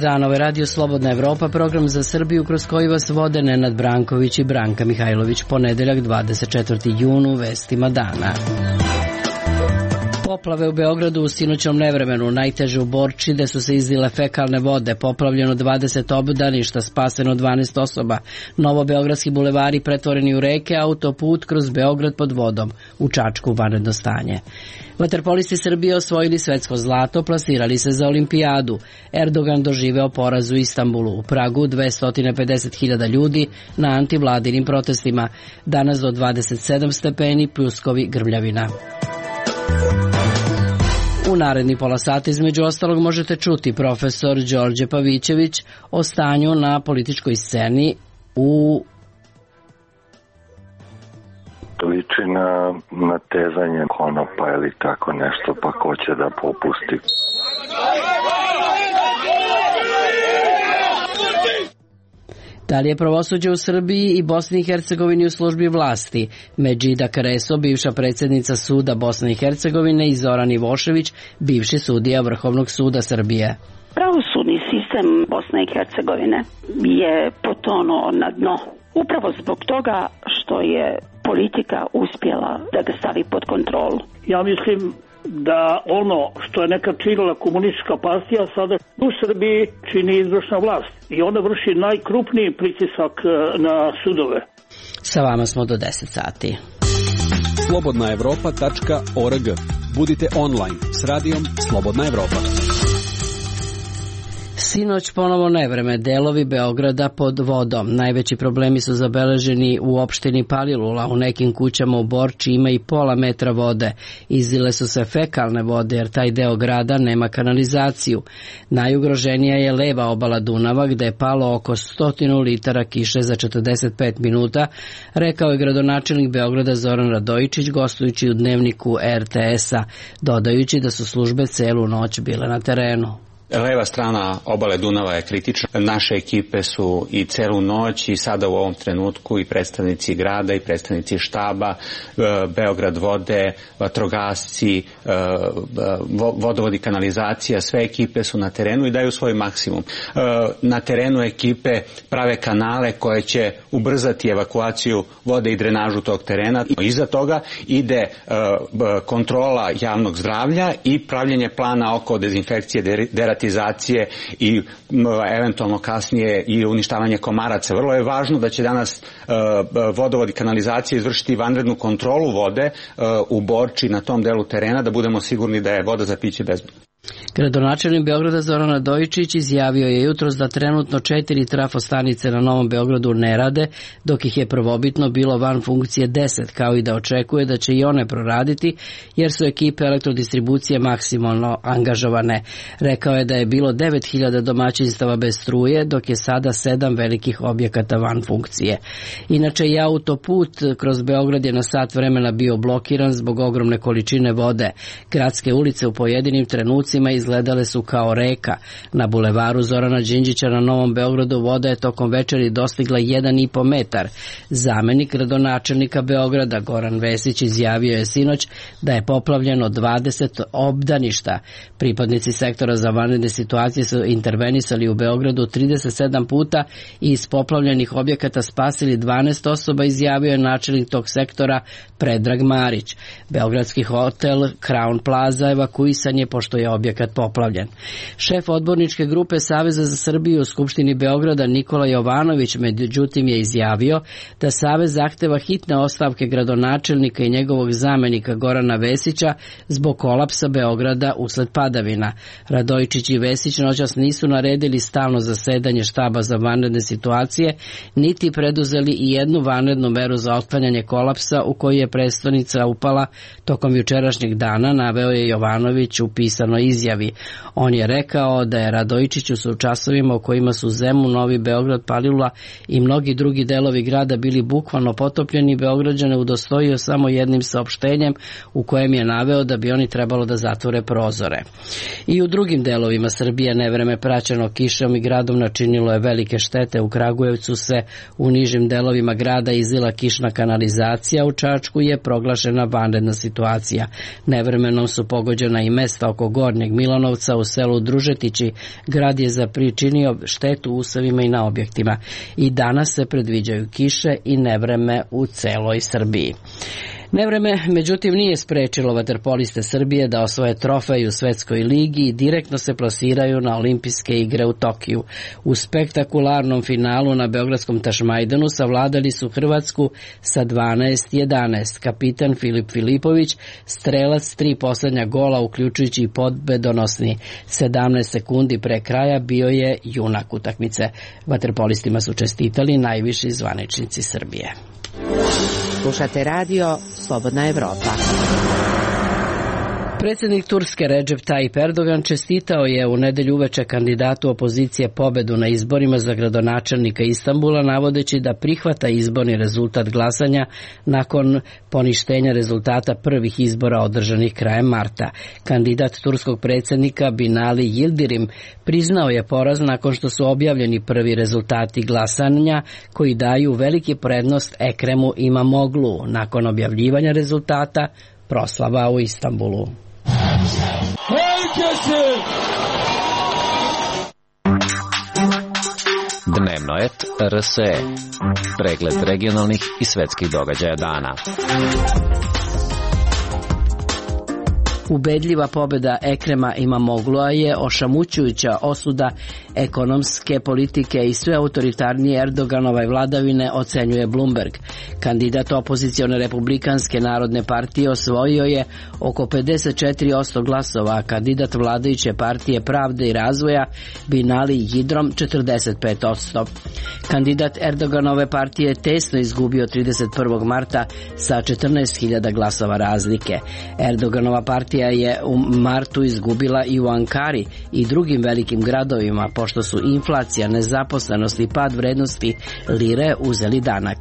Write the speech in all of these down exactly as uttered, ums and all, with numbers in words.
dan, ovo je Radio Slobodna Evropa, program za Srbiju kroz koji vas vode Nenad Branković i Branka Mihajlović. Ponedeljak, dvadeset četvrti jun, u vestima dana. Poplave u Beogradu u sinoćnom nevremenu, najteže u Borči, gde su se izlile fekalne vode, poplavljeno dvadeset obdaništa, spaseno dvanaest osoba, novobeogradski bulevari pretvoreni u reke, autoput kroz Beograd pod vodom, u Čačku vanredno stanje. Vaterpolisti Srbije osvojili svetsko zlato, plasirali se za olimpijadu. Erdogan doživeo poraz u Istanbulu. U Pragu dvesta pedeset hiljada ljudi na antivladinim protestima. Danas do dvadeset sedam stepeni, pljuskovi, grmljavina. U naredni pola sata između ostalog možete čuti profesor Đorđe Pavićević o stanju na političkoj sceni u liči na natezanje konopa ili tako nešto, pa ko će da popusti. Da li je pravosuđe u Srbiji i Bosni i Hercegovini u službi vlasti? Medžida Kreso, bivša predsjednica suda Bosne i Hercegovine, i Zoran Ivošević, bivši sudija Vrhovnog suda Srbije. Pravosudni sistem Bosne i Hercegovine je potonuo na dno. Upravo zbog toga što je politika uspjela da ga stavi pod kontrolu. Ja mislim da ono što je nekad činila komunistička partija sada u Srbiji čini izvršna vlast i ona vrši najkrupniji pritisak na sudove. Sa vama smo do deset sati. slobodna evropa tačka org. Budite online s radijom Slobodna Evropa. Sinoć ponovo nevreme, delovi Beograda pod vodom. Najveći problemi su zabeleženi u opštini Palilula. U nekim kućama u Borči ima i pola metra vode. Izlile su se fekalne vode jer taj deo grada nema kanalizaciju. Najugroženija je leva obala Dunava gde je palo oko stotinu litara kiše za četrdeset pet minuta, rekao je gradonačelnik Beograda Zoran Radojičić gostujući u dnevniku er te es-a, dodajući da su službe celu noć bile na terenu. Leva strana obale Dunava je kritična. Naše ekipe su i celu noć i sada u ovom trenutku i predstavnici grada i predstavnici štaba, Beograd vode, vatrogasci, vodovodi, kanalizacija, sve ekipe su na terenu i daju svoj maksimum. Na terenu ekipe prave kanale koje će ubrzati evakuaciju vode i drenažu tog terena. Iza toga ide kontrola javnog zdravlja i pravljenje plana oko dezinfekcije, deratizacije i eventualno kasnije i uništavanje komaraca. Vrlo je važno da će danas vodovod i kanalizacija izvršiti vanrednu kontrolu vode u Borči na tom delu terena, da budemo sigurni da je voda za piće bezbedna. Gradonačelnik Beograda Zoran Radojičić izjavio je jutros da trenutno četiri trafostanice na Novom Beogradu ne rade, dok ih je prvobitno bilo van funkcije deset, kao i da očekuje da će i one proraditi, jer su ekipe elektrodistribucije maksimalno angažovane. Rekao je da je bilo devet hiljada domaćinstava bez struje, dok je sada sedam velikih objekata van funkcije. Inače, i autoput kroz Beograd je na sat vremena bio blokiran zbog ogromne količine vode. Gradske ulice u pojedinim trenucima izgledale su kao reka. Na bulevaru Zorana Đinđića na Novom Beogradu voda je tokom večeri dostigla jedan i po metar. Zamenik gradonačelnika Beograda Goran Vesić izjavio je sinoć da je poplavljeno dvadeset obdaništa. Pripadnici sektora za vanredne situacije su intervenisali u Beogradu trideset sedam puta i iz poplavljenih objekata spasili dvanaest osoba, izjavio je načelnik tog sektora Predrag Marić. Beogradski hotel Crown Plaza evakuisan je pošto je objekat poplavljen. Šef odborničke grupe Saveza za Srbiju u Skupštini Beograda Nikola Jovanović međutim je izjavio da Savez zahteva hitne ostavke gradonačelnika i njegovog zamenika Gorana Vesića zbog kolapsa Beograda usled padavina. Radojičić i Vesić noćas nisu naredili stalno zasedanje štaba za vanredne situacije, niti preduzeli i jednu vanrednu meru za otklanjanje kolapsa u koji je prestonica upala tokom jučerašnjeg dana, naveo je Jovanović u pisanoj izjavi. On je rekao da je Radojičiću su u časovima u kojima su Zemun, Novi Beograd, Palilula i mnogi drugi delovi grada bili bukvalno potopljeni, Beograđane udostojio samo jednim saopštenjem u kojem je naveo da bi oni trebalo da zatvore prozore. I u drugim delovima Srbije nevreme praćeno kišom i gradom načinilo je velike štete. U Kragujevcu se u nižim delovima grada izlila kišna kanalizacija, u Čačku je proglašena vanredna situacija. Nevremenom su pogođena i mesta oko Gornjeg Milana, Milanovca u selu Družetići grad je zapričinio štetu usevima i na objektima. I danas se predviđaju kiše i nevreme u celoj Srbiji. Nevreme, međutim, nije sprečilo vaterpoliste Srbije da osvoje trofej u Svetskoj ligi i direktno se plasiraju na olimpijske igre u Tokiju. U spektakularnom finalu na beogradskom Tašmajdanu savladali su Hrvatsku sa dvanaest jedanaest. Kapitan Filip Filipović, strelac tri poslednja gola, uključujući i pobjedonosni sedamnaest sekundi pre kraja, bio je junak utakmice. Vaterpolistima su čestitali najviši zvaničnici Srbije. Slušate radio Slobodna Evropa. Predsjednik Turske Recep Tayyip Erdogan čestitao je u nedelju uveče kandidatu opozicije pobedu na izborima za gradonačelnika Istanbula, navodeći da prihvata izborni rezultat glasanja nakon poništenja rezultata prvih izbora održanih krajem marta. Kandidat turskog predsjednika Binali Yildirim priznao je poraz nakon što su objavljeni prvi rezultati glasanja koji daju veliki prednost Ekremu Imamoglu. Nakon objavljivanja rezultata proslava u Istanbulu. Dnevnoet R S E. Pregled regionalnih i svetskih događaja dana. Ubedljiva pobjeda Ekrema Imamoglu'a je ošamućujuća osuda ekonomske politike i sve autoritarnije Erdoganove vladavine, ocenjuje Bloomberg. Kandidat opozicione republikanske narodne partije osvojio je oko pedeset četiri posto glasova, a kandidat vladajuće partije Pravde i razvoja Binali Yildirim četrdeset pet posto. Kandidat Erdoganove partije je tesno izgubio trideset prvog marta sa četrnaest hiljada glasova razlike. Erdoganova partija je u martu izgubila i u Ankari i drugim velikim gradovima, pošto su inflacija, nezaposlenost i pad vrednosti lire uzeli danak.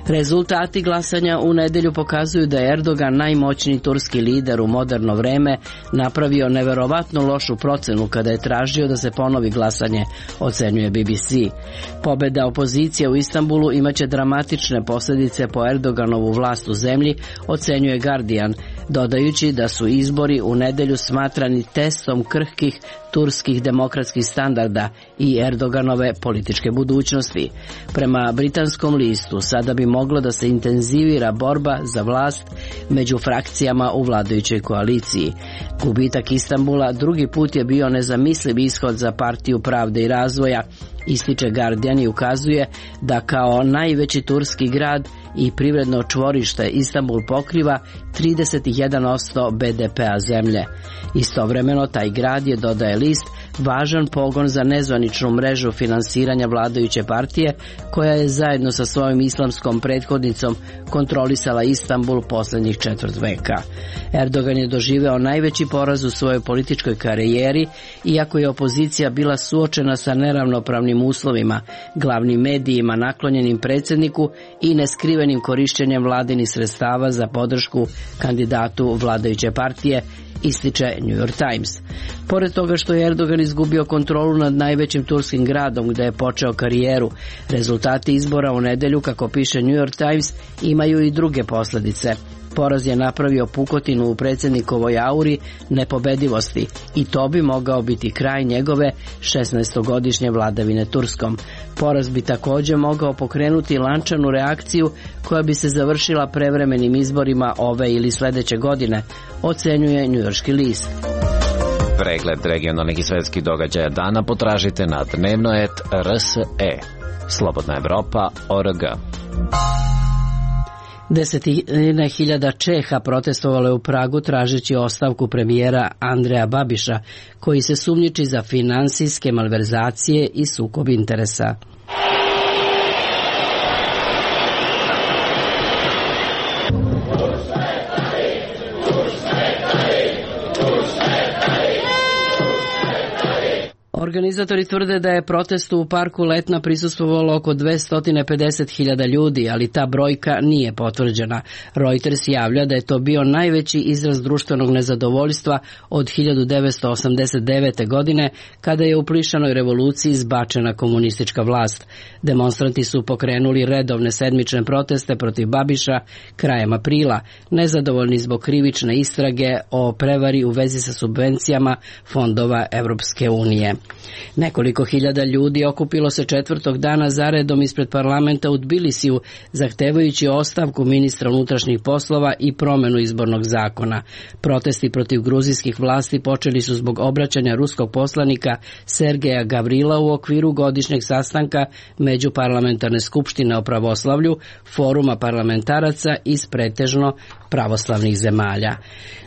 Rezultati glasanja u nedelju pokazuju da je Erdogan, najmoćniji turski lider u moderno vreme, napravio neverovatno lošu procenu kada je tražio da se ponovi glasanje, ocenjuje B B C. Pobeda opozicije u Istanbulu imaće dramatične posljedice po Erdoganovu vlast u zemlji, ocenjuje Guardian, dodajući da su izbori u nedelju smatrani testom krhkih turskih demokratskih standarda i Erdoganove političke budućnosti. Prema britanskom listu, sada bi moglo da se intenzivira borba za vlast među frakcijama u vladajućoj koaliciji. Gubitak Istanbula drugi put je bio nezamisliv ishod za partiju Pravde i razvoja, ističe Guardian i ukazuje da kao najveći turski grad i privredno čvorište Istanbul pokriva trideset jedan posto B D P-a zemlje. Istovremeno taj grad je, dodaje list, važan pogon za nezvaničnu mrežu finansiranja vladajuće partije, koja je zajedno sa svojom islamskom prethodnicom kontrolisala Istanbul posljednjih četvrt veka. Erdogan je doživeo najveći poraz u svojoj političkoj karijeri, iako je opozicija bila suočena sa neravnopravnim uslovima, glavnim medijima naklonjenim predsjedniku i neskrivenim korišćenjem vladinih sredstava za podršku kandidatu vladajuće partije, ističe New York Times. Pored toga što je Erdogan izgubio kontrolu nad najvećim turskim gradom gdje je počeo karijeru, rezultati izbora u nedelju, kako piše New York Times, imaju i druge posljedice. Poraz je napravio pukotinu u predsjednikovoj auri nepobedivosti i to bi mogao biti kraj njegove šesnaestogodišnje vladavine Turskom. Poraz bi također mogao pokrenuti lančanu reakciju koja bi se završila prevremenim izborima ove ili sljedeće godine, ocenjuje njujorški list. Pregled regionalnih i svetskih događaja dana potražite na dnevnoet R S E. Slobodna Evropa org. Desetine hiljada Čeha protestovalo je u Pragu tražeći ostavku premijera Andreja Babiša, koji se sumnjiči za finansijske malverzacije i sukob interesa. Organizatori tvrde da je protestu u parku Letna prisustvovalo oko dvesta pedeset hiljada ljudi, ali ta brojka nije potvrđena. Reuters javlja da je to bio najveći izraz društvenog nezadovoljstva od hiljadu devetsto osamdeset devete. godine, kada je u plišanoj revoluciji izbačena komunistička vlast. Demonstranti su pokrenuli redovne sedmične proteste protiv Babiša krajem aprila, nezadovoljni zbog krivične istrage o prevari u vezi sa subvencijama fondova Evropske unije. Nekoliko hiljada ljudi okupilo se četvrtog dana zaredom ispred parlamenta u Tbilisiju, zahtevajući ostavku ministra unutrašnjih poslova i promenu izbornog zakona. Protesti protiv gruzijskih vlasti počeli su zbog obraćanja ruskog poslanika Sergeja Gavrila u okviru godišnjeg sastanka Međuparlamentarne skupštine o pravoslavlju, foruma parlamentaraca iz pretežno pravoslavnih zemalja.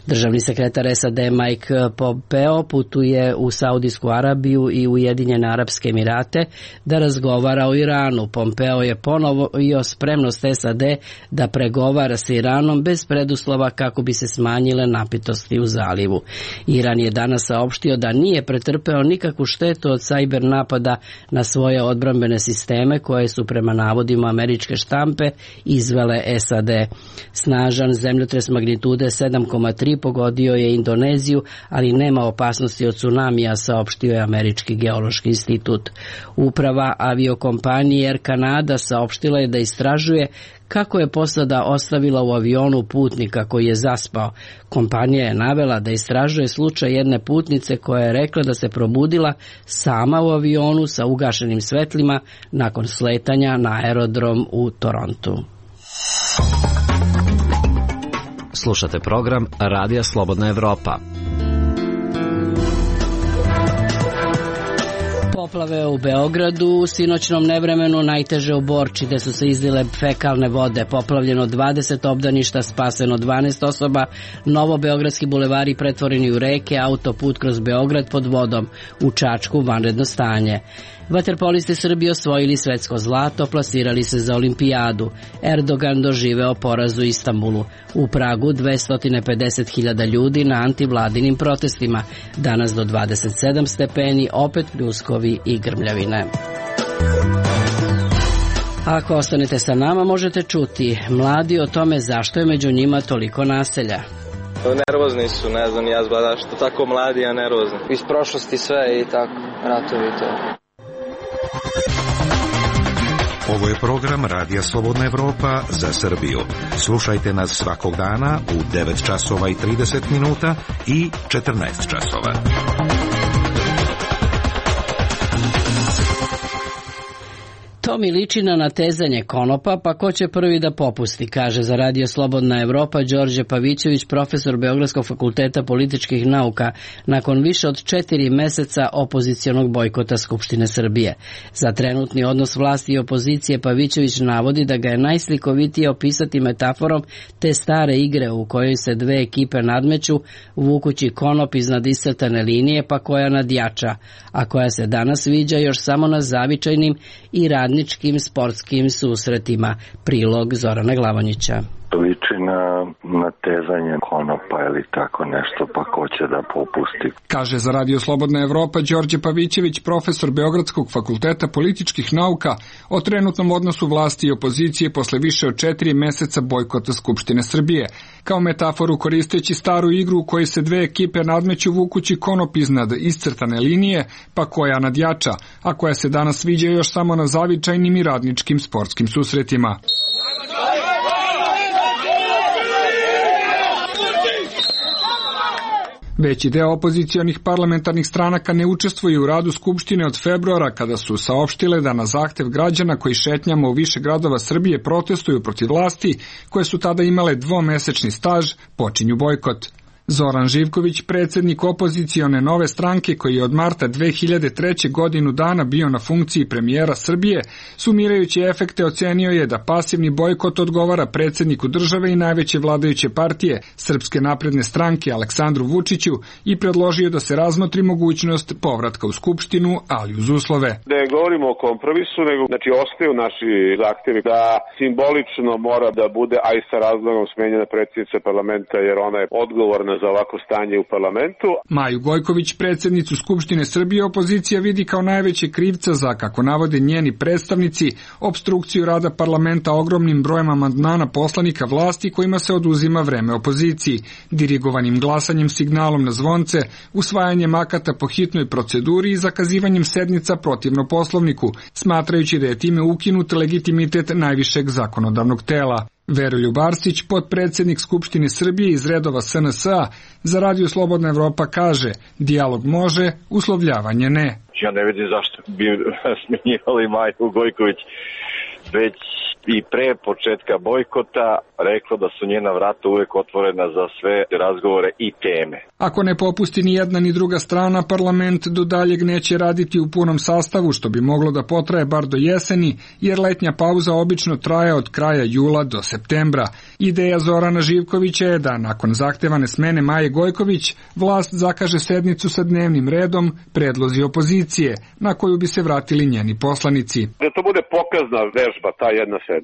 Državni sekretar S A D Mike Pompeo putuje u Saudijsku Arabiju i Ujedinjene Arapske Emirate da razgovara o Iranu. Pompeo je ponovio spremnost S A D da pregovara sa Iranom bez preduslova kako bi se smanjile napetosti u zalivu. Iran je danas saopštio da nije pretrpeo nikakvu štetu od sajber napada na svoje odbrambene sisteme koje su prema navodima američke štampe izvele S A D. Snažan zemljotres magnitude sedam zarez tri pogodio je Indoneziju, ali nema opasnosti od tsunamija, saopštio je Američki geološki institut. Uprava aviokompanije Air Canada saopštila je da istražuje kako je posada ostavila u avionu putnika koji je zaspao. Kompanija je navela da istražuje slučaj jedne putnice koja je rekla da se probudila sama u avionu sa ugašenim svetlima nakon sletanja na aerodrom u Torontu. Slušate program Radija Slobodna Evropa. Poplave u Beogradu u sinoćnom nevremenu, najteže u Borči, gde su se izlile fekalne vode. Poplavljeno dvadeset obdaništa, spaseno dvanaest osoba, novobeogradski bulevari pretvoreni u reke, autoput kroz Beograd pod vodom, u Čačku vanredno stanje. Vaterpolisti Srbije osvojili svetsko zlato, plasirali se za olimpijadu. Erdogan doživeo poraz u Istanbulu. U Pragu dvesta pedeset hiljada ljudi na antivladinim protestima. Danas do dvadeset sedam stepeni, opet pljuskovi i grmljavine. Ako ostanete sa nama, možete čuti mladi o tome zašto je među njima toliko naselja. Nervozni su, ne znam, ja zbada što tako mladi, a nervozni. Iz prošlosti sve i tako, ratovi i to. Ovo je program Radija Slobodna Evropa za Srbiju. Slušajte nas svakog dana u devet časova i trideset minuta i četrnaest časova. To mi liči na natezanje konopa, pa ko će prvi da popusti, kaže za Radio Slobodna Evropa Đorđe Pavićević, profesor Beogradskog fakulteta političkih nauka, nakon više od četiri meseca opozicionog bojkota Skupštine Srbije. Za trenutni odnos vlasti i opozicije Pavićević navodi da ga je najslikovitije opisati metaforom te stare igre u kojoj se dve ekipe nadmeću, vukući konop iznad iscrtane linije, pa koja nadjača, a koja se danas viđa još samo na zavičajnim i radnim sportskim susretima. Prilog Zorana Glavonjića. Liči na natezanje konopa ili tako nešto, pa ko će da popusti. Kaže za Radio Slobodna Evropa Đorđe Pavićević, profesor Beogradskog fakulteta političkih nauka, o trenutnom odnosu vlasti i opozicije posle više od četiri meseca bojkota Skupštine Srbije. Kao metaforu koristeći staru igru u kojoj se dve ekipe nadmeću vukući konop iznad iscrtane linije, pa koja nadjača, a koja se danas viđa još samo na zavičajnim i radničkim sportskim susretima. Veći deo opozicionih parlamentarnih stranaka ne učestvuje u radu Skupštine od februara, kada su saopštile da na zahtev građana koji šetnjama u više gradova Srbije protestuju protiv vlasti, koje su tada imale dvomesečni staž, počinju bojkot. Zoran Živković, predsjednik opozicione Nove stranke, koji je od marta dve hiljade treće. godinu dana bio na funkciji premijera Srbije, sumirajući efekte ocenio je da pasivni bojkot odgovara predsjedniku države i najveće vladajuće partije Srpske napredne stranke Aleksandru Vučiću i predložio da se razmotri mogućnost povratka u Skupštinu, ali uz uslove. Ne govorimo o kompromisu, nego znači ostaju naši zahtjevi da simbolično mora da bude, a i sa razlogom, smenjena predsjednica parlamenta, jer ona je odgovorna za ovako stanje u parlamentu. Maju Gojković, predsjednicu Skupštine Srbije, opozicija vidi kao najveće krivca za, kako navode njeni predstavnici, opstrukciju rada parlamenta ogromnim brojem amandmana poslanika vlasti kojima se oduzima vreme opoziciji, dirigovanim glasanjem signalom na zvonce, usvajanjem akata po hitnoj proceduri i zakazivanjem sednica protivno Poslovniku, smatrajući da je time ukinut legitimitet najvišeg zakonodavnog tela. Veroljub Arsić, potpredsjednik Skupštine Srbije iz redova S N S-a, za Radio Slobodna Evropa kaže: dijalog može, uslovljavanje ne. Ja ne vidim zašto bi smenjivali Maju Gojković, već i pre početka bojkota rekla da su njena vrata uvek otvorena za sve razgovore i teme. Ako ne popusti ni jedna ni druga strana, parlament do daljeg neće raditi u punom sastavu, što bi moglo da potraje bar do jeseni, jer letnja pauza obično traje od kraja jula do septembra. Ideja Zorana Živkovića je da nakon zahtevane smene Maje Gojković vlast zakaže sednicu sa dnevnim redom predlozi opozicije, na koju bi se vratili njeni poslanici. Da to bude pokazna vežba, ta jedna sednica,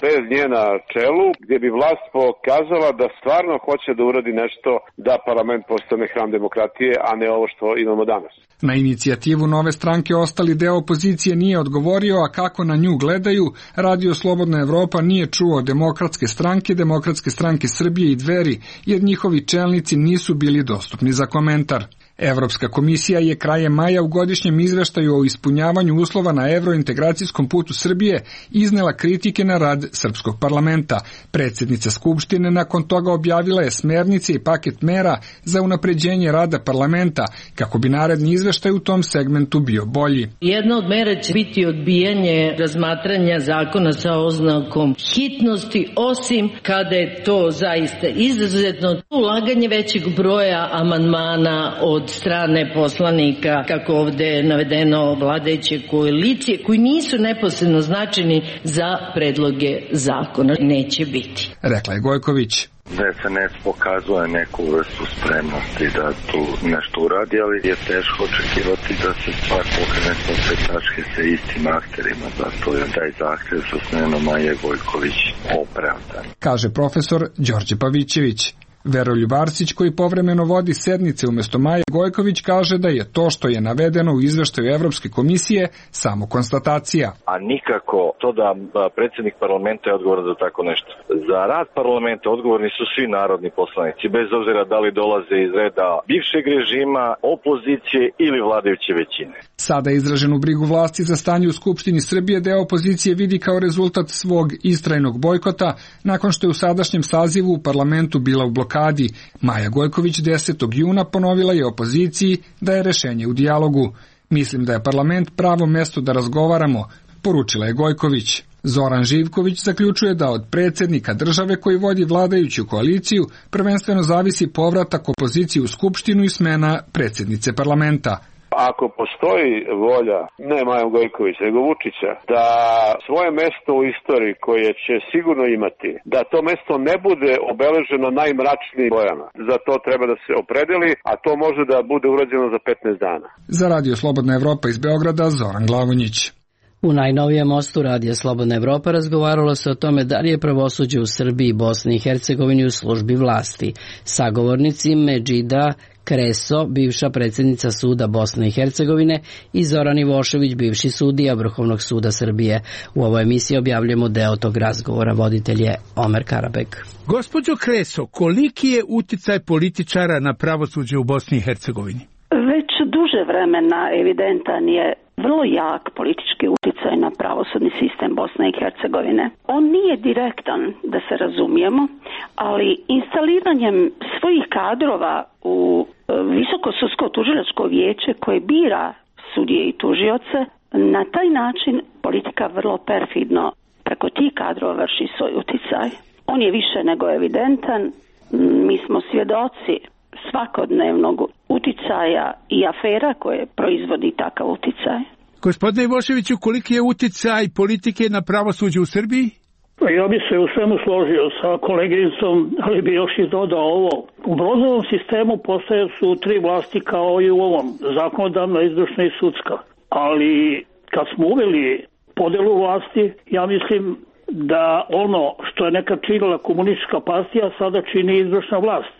bez nje na čelu, gdje bi vlast pokazala da stvarno hoće da uradi nešto da parlament postane hram demokratije, a ne ovo što imamo danas. Na inicijativu Nove stranke ostali deo opozicije nije odgovorio, a kako na nju gledaju, Radio Slobodna Evropa nije čuo Demokratske stranke, Demokratske stranke Srbije i Dveri, jer njihovi čelnici nisu bili dostupni za komentar. Evropska komisija je krajem maja u godišnjem izveštaju o ispunjavanju uslova na evrointegracijskom putu Srbije iznela kritike na rad srpskog parlamenta. Predsjednica Skupštine nakon toga objavila je smernice i paket mera za unapređenje rada parlamenta, kako bi naredni izveštaj u tom segmentu bio bolji. Jedna od mera će biti odbijanje razmatranja zakona sa oznakom hitnosti, osim kada je to zaista izuzetno ulaganje većeg broja amandmana od strane poslanika, kako ovde je navedeno, vladajuće koalicije, koji nisu neposredno značajni za predloge zakona. Neće biti. Rekla je Gojković. Da S N S pokazuje neku vrstu spremnosti da tu nešto uradi, ali je teško očekivati da se stvar pokrene sa sve tačke sa istim akterima, zato je taj zahtev sa smenom Maje Gojković opravdan, kaže profesor Đorđe Pavićević. Veroljub Arsić, koji povremeno vodi sednice umjesto Maje Gojković, kaže da je to što je navedeno u izveštaju Evropske komisije samo konstatacija. A nikako to da predsjednik parlamenta je odgovoran za tako nešto. Za rad parlamenta odgovorni su svi narodni poslanici, bez obzira da li dolaze iz reda bivšeg režima, opozicije ili vladajuće većine. Sada izraženu brigu vlasti za stanje u Skupštini Srbije deo opozicije vidi kao rezultat svog istrajnog bojkota nakon što je u sadašnjem sazivu u parlamentu bila u blokadi. Maja Gojković desetog juna ponovila je opoziciji da je rešenje u dijalogu. Mislim da je parlament pravo mesto da razgovaramo, poručila je Gojković. Zoran Živković zaključuje da od predsjednika države koji vodi vladajuću koaliciju prvenstveno zavisi povratak opozicije u Skupštinu i smena predsjednice parlamenta. Ako postoji volja, ne Maja Gojković, nego Vučića, da svoje mesto u istoriji koje će sigurno imati, da to mesto ne bude obeleženo najmračnijim bojama. Za to treba da se opredeli, a to može da bude urađeno za petnaest dana. Za Radio Slobodna Evropa iz Beograda, Zoran Glavonjić. U najnovijem mostu Radija Slobodna Evropa razgovaralo se o tome da li je pravosuđe u Srbiji, Bosni i Hercegovini u službi vlasti. Sagovornici Medžida Kreso, bivša predsjednica suda Bosne i Hercegovine, i Zoran Ivošević, bivši sudija Vrhovnog suda Srbije. U ovoj emisiji objavljujemo deo tog razgovora. Voditelj je Omer Karabek. Gospođo Kreso, koliki je uticaj političara na pravosuđe u Bosni i Hercegovini? Već duže vremena evidentan je vrlo jak politički uticaj na pravosudni sistem Bosne i Hercegovine. On nije direktan, da se razumijemo, ali instaliranjem svojih kadrova u Visoko sudsko tužilačko vijeće koje bira sudije i tužioce, na taj način politika vrlo perfidno preko tih kadrova vrši svoj uticaj. On je više nego evidentan. Mi smo svjedoci svakodnevnog uticaja i afera koje proizvodi takav uticaj. Gospodine Ivoševiću, koliki je uticaj politike na pravosuđe u Srbiji? Ja bi se u svemu složio sa koleginicom, ali bi još i dodao ovo. U brozovom sistemu postoje su tri vlasti kao i u ovom, zakonodavna, izvršna i sudska. Ali kad smo uveli podelu vlasti, ja mislim da ono što je nekad činila komunistička partija sada čini izvršna vlast.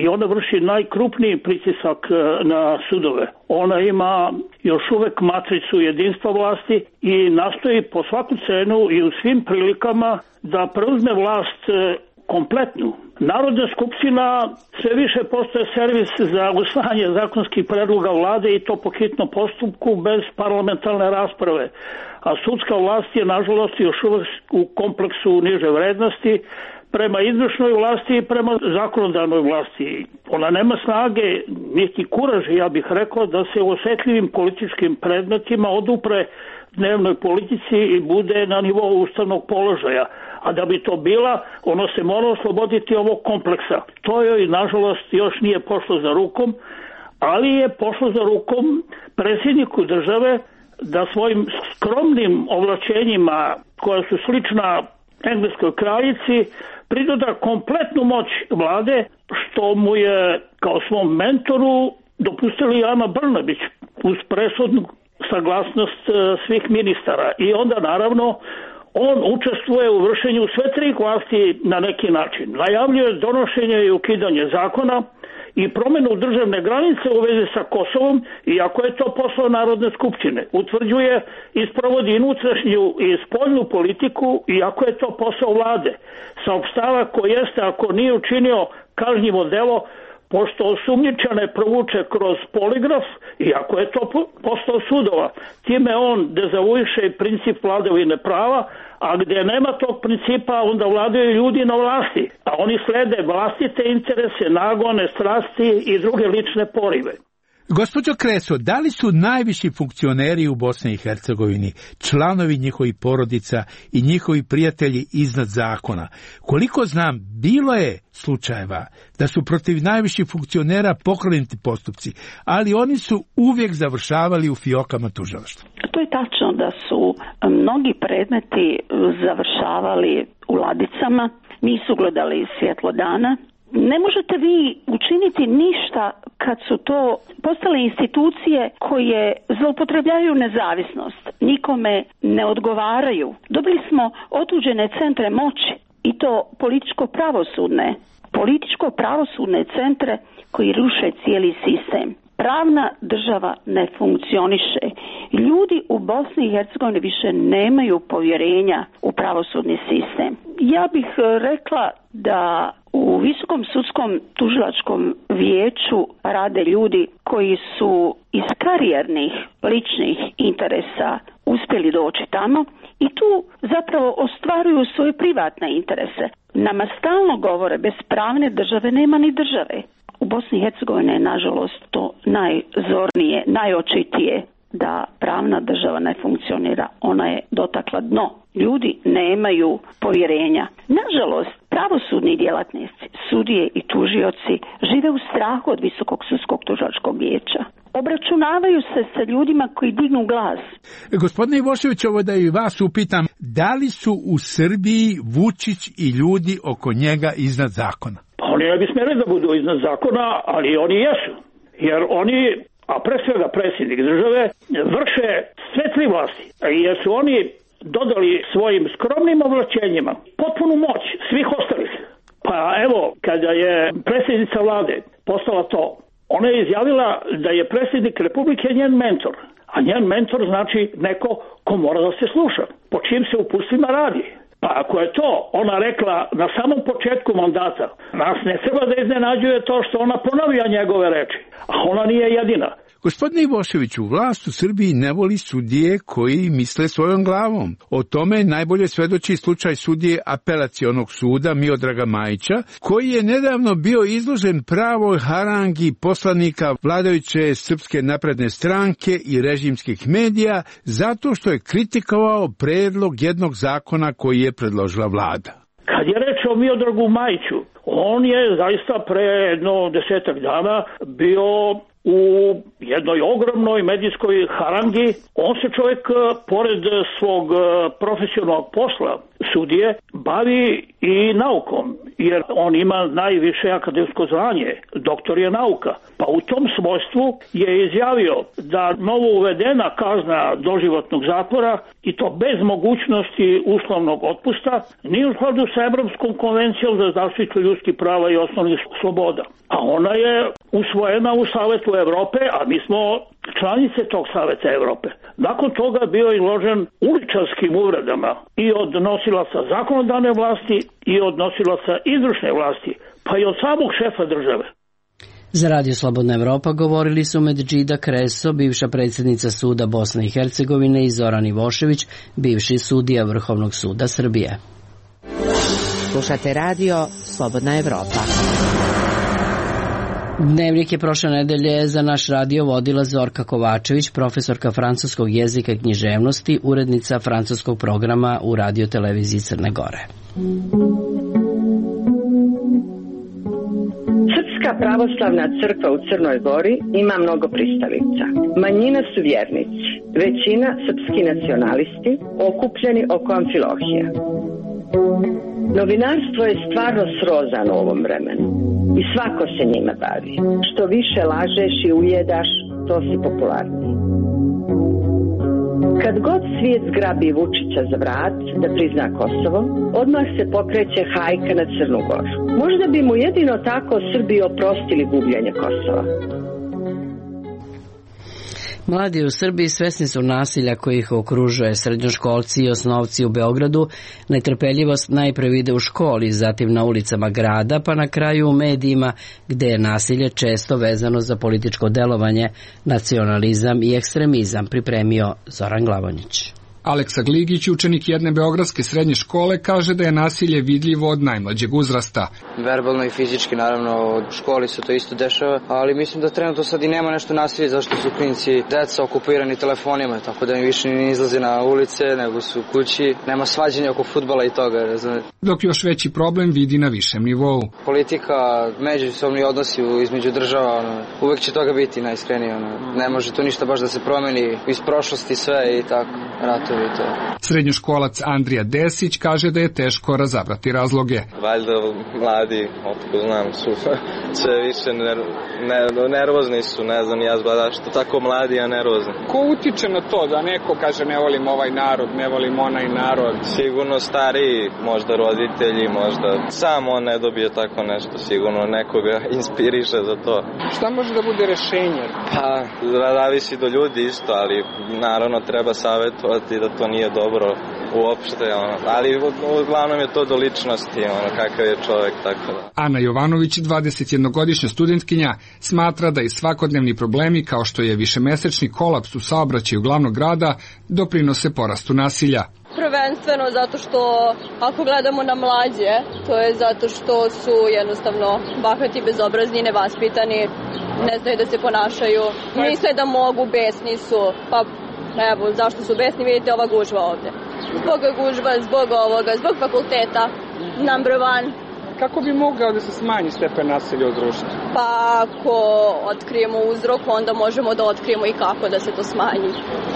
i ona vrši najkrupniji pritisak na sudove. Ona ima još uvek matricu jedinstva vlasti i nastoji po svaku cenu i u svim prilikama da preuzme vlast kompletnu. Narodna skupština sve više postaje servis za usvajanje zakonskih predloga vlade i to po hitnom postupku bez parlamentarne rasprave. A sudska vlast je nažalost još uvek u kompleksu niže vrednosti prema izvršnoj vlasti i prema zakonodavnoj vlasti. Ona nema snage, niti kuraži, ja bih rekao, da se u osetljivim političkim predmetima odupre dnevnoj politici i bude na nivou ustavnog položaja. A da bi to bila, ono se mora osloboditi ovog kompleksa. To joj, nažalost, još nije pošlo za rukom, ali je pošlo za rukom predsjedniku države da svojim skromnim ovlačenjima, koja su slična engleskoj kraljici, pridoda kompletnu moć vlade, što mu je kao svom mentoru dopustili Ana Brnabić uz presudnu saglasnost svih ministara. I onda naravno on učestvuje u vršenju sve tri vlasti na neki način. Najavljuje donošenje i ukidanje zakona i promjenu državne granice u vezi sa Kosovom, iako je to posao Narodne skupštine. Utvrđuje i sprovodi unutrašnju i spoljnu politiku, iako je to posao vlade. Saopštava ko jeste, ako nije učinio kažnjivo delo, pošto osumnjičane provuče kroz poligraf, iako je to posao sudova. Time on dezavuiše princip vladavine prava, a gdje nema tog principa, onda vladaju ljudi na vlasti, a oni slede vlastite interese, nagone, strasti i druge lične porive. Gospođo Kreso, da li su najviši funkcioneri u Bosni i Hercegovini, članovi njihovih porodica i njihovi prijatelji iznad zakona? Koliko znam, bilo je slučajeva da su protiv najviših funkcionera pokrenuti postupci, ali oni su uvijek završavali u fijokama tužilaštva. To je tačno da su mnogi predmeti završavali u ladicama, nisu gledali svjetlo dana. Ne možete vi učiniti ništa kad su to postale institucije koje zloupotrebljavaju nezavisnost, nikome ne odgovaraju. Dobili smo otuđene centre moći i to političko-pravosudne, političko-pravosudne centre koji ruše cijeli sistem. Pravna država ne funkcioniše. Ljudi u Bosni i Hercegovini više nemaju povjerenja u pravosudni sistem. Ja bih rekla da u Visokom sudskom tužilačkom vijeću rade ljudi koji su iz karijernih ličnih interesa uspjeli doći tamo i tu zapravo ostvaruju svoje privatne interese. Nama stalno govore, bez pravne države nema ni države. U Bosni i Hercegovini je nažalost to najzornije, najočitije da pravna država ne funkcionira. Ona je dotakla dno. Ljudi nemaju povjerenja. Nažalost, pravosudni djelatnici, sudije i tužioci žive u strahu od Visokog sudskog tužilačkog vijeća. Obračunavaju se sa ljudima koji dignu glas. Gospodine Ivošević, ovo da i vas upitam, da li su u Srbiji Vučić i ljudi oko njega iznad zakona? Pa oni ne bi smjeli da budu iznad zakona, ali oni jesu. Jer oni, a pre svega predsjednik države, vrše sve tri vlasti. Jer su oni dodali svojim skromnim ovlačenjima potpunu moć svih ostalih. Pa evo, kada je predsjednica vlade postala to, ona je izjavila da je predsjednik Republike njen mentor. A njen mentor znači neko ko mora da se sluša, po čim se upustima radi. Pa ako je to ona rekla na samom početku mandata, nas ne treba da iznenađuje to što ona ponavlja njegove reči, a ona nije jedina. Gospodine Ivoševiću, vlast u Srbiji ne voli sudije koji misle svojom glavom. O tome najbolje svedoči slučaj sudije apelacionog suda Miodraga Majića, koji je nedavno bio izložen pravoj harangi poslanika vladajuće Srpske napredne stranke i režimskih medija zato što je kritikovao predlog jednog zakona koji je predložila vlada. Kad je reč o Miodragu Majiću, on je zaista pre jedno desetak dana bio u jednoj ogromnoj medijskoj harangi. On se čovjek, pored svog profesionalnog posla sudije, bavi i naukom, jer on ima najviše akademsko zvanje, doktor je nauka. Pa u tom svojstvu je izjavio da novo uvedena kazna doživotnog zatvora, i to bez mogućnosti uslovnog otpusta, nije u skladu sa Evropskom konvencijom za zaštitu ljudskih prava i osnovnih sloboda. A ona je usvojena u Savetu Evrope, a mi smo članice tog Saveta Evrope. Nakon toga bio je izložen uličarskim uvredama i od nosilaca zakonodavne vlasti i od nosilaca izvršne vlasti, pa i od samog šefa države. Za Radio Slobodna Evropa govorili su Medžida Kreso, bivša predsjednica suda Bosne i Hercegovine, i Zoran Ivošević, bivši sudija Vrhovnog suda Srbije. Slušate Radio Slobodna Evropa. Dnevnik je prošle nedelje za naš radio vodila Zorka Kovačević, profesorka francuskog jezika i književnosti, urednica francuskog programa u radio-televiziji Crne Gore. Srpska pravoslavna crkva u Crnoj Gori ima mnogo pristalica. Manjina su vjernici, većina srpski nacionalisti, okupljeni oko Amfilohija. Novinarstvo je stvarno srozano u ovom vremenu i svako se njima bavi. Što više lažeš i ujedaš, to si popularniji. Kad god svijet zgrabi Vučića za vrat da prizna Kosovo, odmah se pokreće hajka na Crnu Goru. Možda bi mu jedino tako Srbi oprostili gubljenje Kosova. Mladi u Srbiji svesni su nasilja koji ih okružuje. Srednjoškolci i osnovci u Beogradu netrpeljivost najpre vide u školi, zatim na ulicama grada, pa na kraju u medijima, gde je nasilje često vezano za političko delovanje, nacionalizam i ekstremizam, pripremio Zoran Glavonjić. Aleksa Gligić, učenik jedne beogradske srednje škole, kaže da je nasilje vidljivo od najmlađeg uzrasta. Verbalno i fizički, naravno, u školi se to isto dešava, ali mislim da trenutno sad i nema nešto nasilje, zašto su klinci deca okupirani telefonima, tako da im više ne izlaze na ulice, nego su u kući, nema svađanja oko fudbala i toga, razumete. Dok još veći problem vidi na višem nivou. Politika, međusobni odnosi između država, ono, uvek će toga biti najiskrenije, ono. Ne može to ništa baš da se promeni iz prošlosti sve i tako, ratovi. Srednjoškolac Andrija Desić kaže da je teško razabrati razloge. Valjda mladi, otko znam, su sve više ner, ner, nervozni su, ne znam ja zbada što tako mladi, a nervozni. Ko utiče na to da neko kaže ne volim ovaj narod, ne volim onaj narod? Sigurno stariji, možda roditelji, možda sam on ne dobije tako nešto, sigurno nekoga inspiriše za to. Šta može da bude rešenje? Pa, zavisi do ljudi isto, ali naravno treba savjetovati da to nije dobro uopšte, ono. Ali uglavnom je to do ličnosti, ono, kakav je čovjek, tako da. Ana Jovanović, dvadesetjednogodišnja studentkinja, smatra da i svakodnevni problemi kao što je višemesečni kolaps u saobraćaju glavnog grada doprinose porastu nasilja. Prvenstveno zato što ako gledamo na mlađe, to je zato što su jednostavno bahati, bezobrazni, nevaspitani, ne znaju da se ponašaju, misle da mogu, besni su, pa evo, zašto su besni, vidite ova gužva ovde. Zbog gužva, zbog ovoga, zbog fakulteta, number one. Kako bi mogao da se smanji stepen nasilja u društvu? Pa ako otkrijemo uzrok, onda možemo da otkrijemo i kako da se to smanji.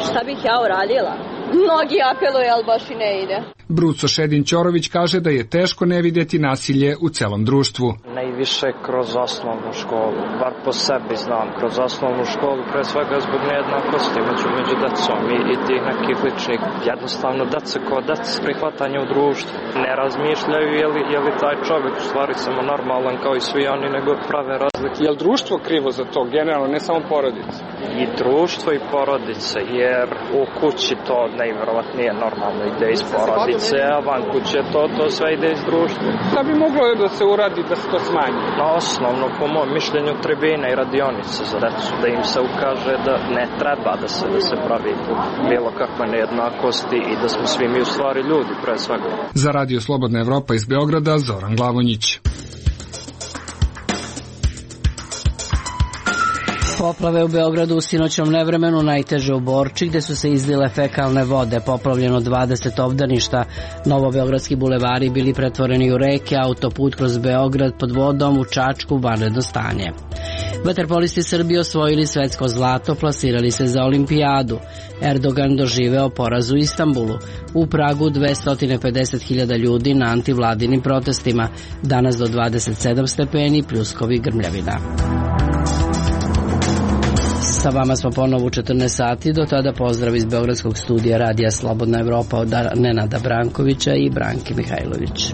Šta bih ja uradila? Mnogi apeluju, ali baš i ne ide. Bruco Šedin-Ćorović kaže da je teško ne vidjeti nasilje u celom društvu. Najviše kroz osnovnu školu, bar po sebi znam, kroz osnovnu školu, pre svega zbog nejednakosti među, među decom i, i tih nekih ličnih. Jednostavno, deca kao deca s prihvatanja u društvu ne razmišljaju je li, je li taj čovjek u stvari samo normalan kao i svi oni, nego prave razlike. Je li društvo krivo za to, generalno, ne samo porodice? I društvo i porodice, jer u kući to najvjerovatnije normalno ide iz porodice, a van kuće to, to sve ide iz društva. Šta bi moglo da se uradi da se to smanji? Na osnovno, po mom mišljenju, tribine i radionice za decu, da im se ukaže da ne treba da se, da se pravi bilo kakve nejednakosti i da smo svi mi u stvari ljudi, pre svega. Za Radio Slobodna Evropa iz Beograda, Zoran Glavonjić. Poplave u Beogradu u sinoćnom nevremenu, najteže u Borči, gde su se izlile fekalne vode, poplavljeno dvadeset obdaništa, novobeogradski bulevari bili pretvoreni u reke, autoput kroz Beograd pod vodom, u Čačku vanredno stanje. Vaterpolisti Srbije osvojili svetsko zlato, plasirali se za olimpijadu. Erdogan doživeo poraz u Istanbulu. U Pragu dvesta pedeset hiljada ljudi na antivladinim protestima. Danas do dvadeset sedam stepeni, pljuskovi, grmljavina. Sa vama smo ponovo u četrnaest sati, do tada pozdrav iz Beogradskog studija Radija Slobodna Evropa od Nenada Brankovića i Branke Mihajlović.